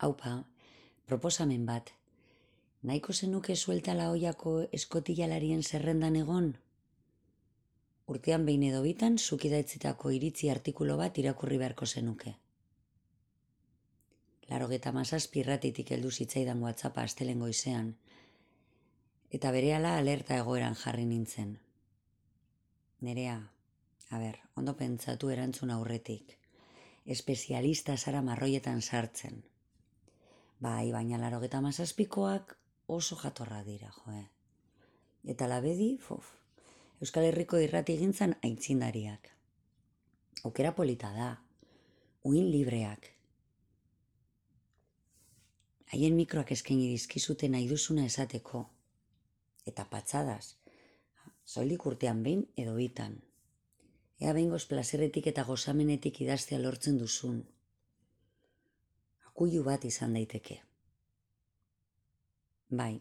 Haupa, proposamen bat. Nahiko zenuke sueltala oiako eskotilalarien zerrendan egon? Urtean behin edo bitan zuk idatzitako iritzi artikulu bat irakurri beharko zenuke. 97 irratitik heldu zitzaidan WhatsAppa astelehen goizean, eta berehala alerta egoeran jarri nintzen. Nerea, ondo pentsatu erantzun aurretik. Espezialista zara marroietan sartzen. Bai, baina 97koak oso jatorra dira, joe. Eta labedi, Euskal Herriko irratigintzan aitzindariak. Aukera polita da, uin libreak. Haien mikroak eskaini dizkizute nahi duzuna esateko. Eta patxadas, soilik urtean behin edo bitan. Ea behingoz plazerretik eta gozamenetik idaztea lortzen duzun. Akuilu bat izan daiteke. Bai,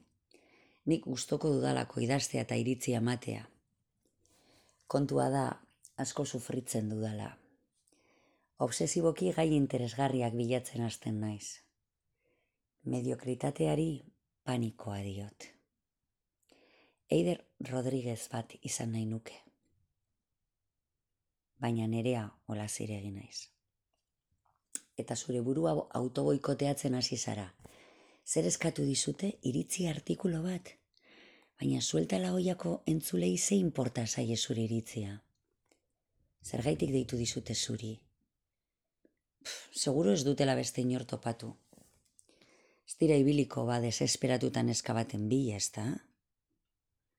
nik gustoko dudalako idaztea eta iritzi ematea. Kontua da, asko sufritzen dudala. Obsesiboki gai interesgarriak bilatzen hasten naiz. Mediokritateari panikoa diot. Eider Rodriguez bat izan nahi nuke. Baina nerea hola ziregi naiz. Eta zure burua autoboikoteatzen hasi zara. Zer eskatu dizute iritzi artikulu bat? Baina sueltala oiako entzulei ze inporta zaie zure iritzia. Zergaitik deitu dizute zuri. Seguro ez dutela beste inor topatu. Ez dira ibiliko desesperatutan eskabaten bila, ezta?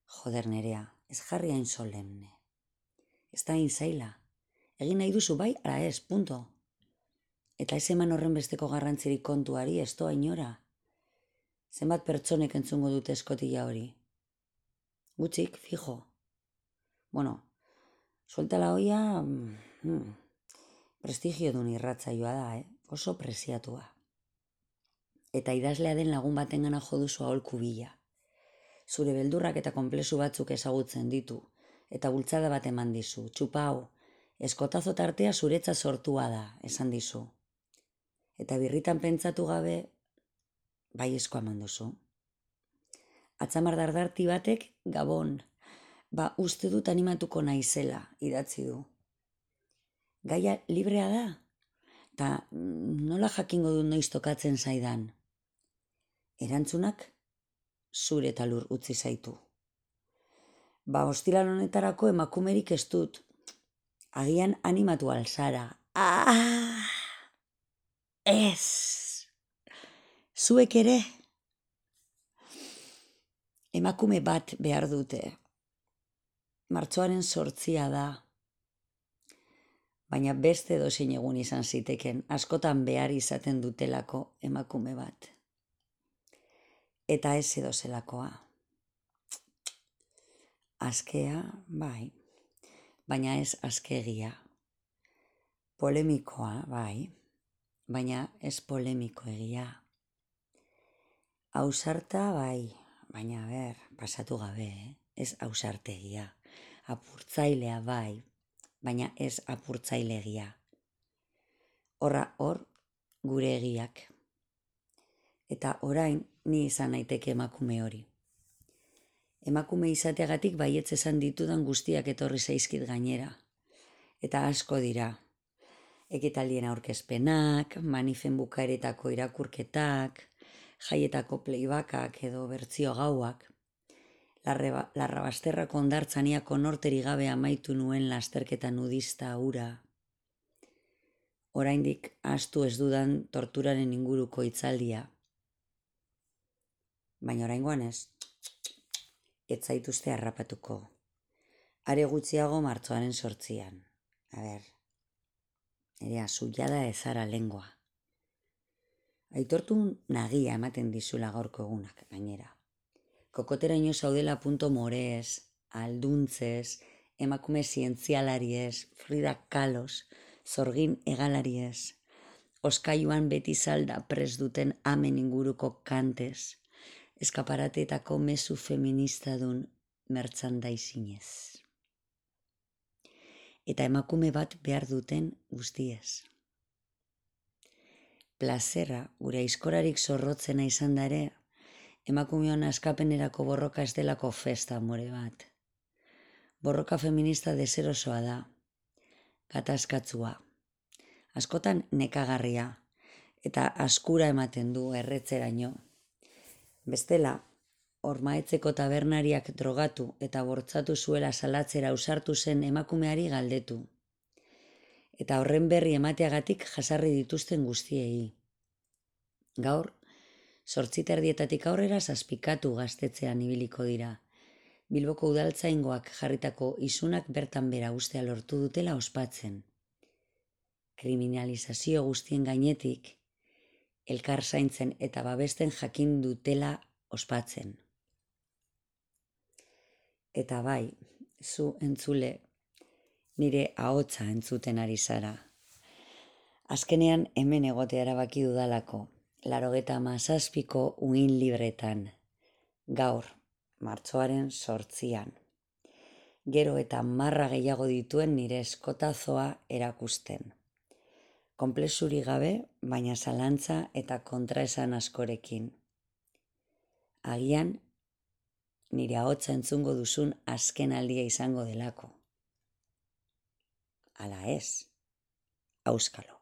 Joder nerea, ez jarri hain solemne. Ez da hain zaila. Egin nahi duzu bai, ala ez, punto. Eta ez eman horren besteko garrantzirik kontuari, ez doa inora. Zenbat pertsonek entzungo dute eskotila hori? Gutxik, fijo. Bueno, sueltala hoia, prestigio dun irratzaioa da, oso presiatua. Eta idazlea den lagun batengana jo duzu aholku bila. Zure beldurrak eta konplexu batzuk ezagutzen ditu, eta bultzada bat eman dizu, txupau, eskotazo tartea zuretza sortua da, esan dizu. Eta birritan pentsatu gabe, bai esko eman duzu. Atzamar dardarti batek, Gabon, uste dut animatuko naizela, idatzi du. Gaia librea da, eta nola jakingo dut noiz tokatzen zaidan. Erantzunak zure talur utzi zaitu. Ostiral honetarako emakumerik ez dut. Agian animatu alzara. Ez! Zuek ere? Emakume bat behar dute. Martxoaren 8 da. Baina beste edozein egun izan ziteken, askotan behar izaten dutelako emakume bat. Eta ez edozelakoa. Askea, bai, baina ez askegia. Polemikoa, bai, baina ez polemiko egia. Ausarta, bai, baina pasatu gabe, ez ausartegia. Apurtzailea, bai, baina ez apurtzailegia. Hor, gure egiak. Eta orain, ni izan naiteke emakume hori. Emakume izateagatik baietz esan ditudan guztiak etorri zaizkit gainera. Eta asko dira. Ekitaldien aurkezpenak, manifen bukaeretako irakurketak, jaietako playbackak edo bertsio gauak. Larrabasterrako hondartzaniako norteri gabe amaitu nuen lasterketa nudista hura. Oraindik ahaztu ez dudan torturaren inguruko hitzaldia. Baina oraingoan ez zaituzte harrapatuko. Are gutxiago martxoaren 8. Nerea, zuiada ezara lengoa. Aitortu nagia ematen dizula gaurko egunak, gainera. Kokoteraino zaudela punto morez, alduntzez, emakume zientzialariez, Frida Kahlos, zorgin egalariez, oskailuan beti salda pres duten amen inguruko kantez, eskaparateetako mezu feminista dun merchandisingez. Eta emakume bat behar duten guztiez. plazerra gure aizkorarik zorrotzena izan da ere, emakumeon askapenerako borroka ez delako festa amore bat. Borroka feminista deserosoa da, gatazkatzua, askotan nekagarria, eta askura ematen du erretzeraino. Bestela, Ormaetzeko tabernariak drogatu eta bortzatu zuela salatzera ausartu zen emakumeari galdetu. Eta horren berri emateagatik jasarri dituzten guztiei. Gaur, 8:00 aurrera zazpikatu gaztetzean ibiliko dira. Bilboko udaltzaingoak jarritako isunak bertan bera ustea lortu dutela ospatzen. Kriminalizazio guztien gainetik, elkar zaintzen eta babesten jakin dutela ospatzen. Eta bai, zu entzule, nire ahotsa entzuten ari zara. Azkenean hemen egotea erabaki dudalako, 97ko uin libretan, gaur, martxoaren 8. Gero eta marra gehiago dituen nire eskotazoa erakusten. Konplexurik gabe, baina zalantza eta kontraesan askorekin. Agian, nire ahotsa entzungo duzun azken aldia izango delako. Ala ez, auskalo.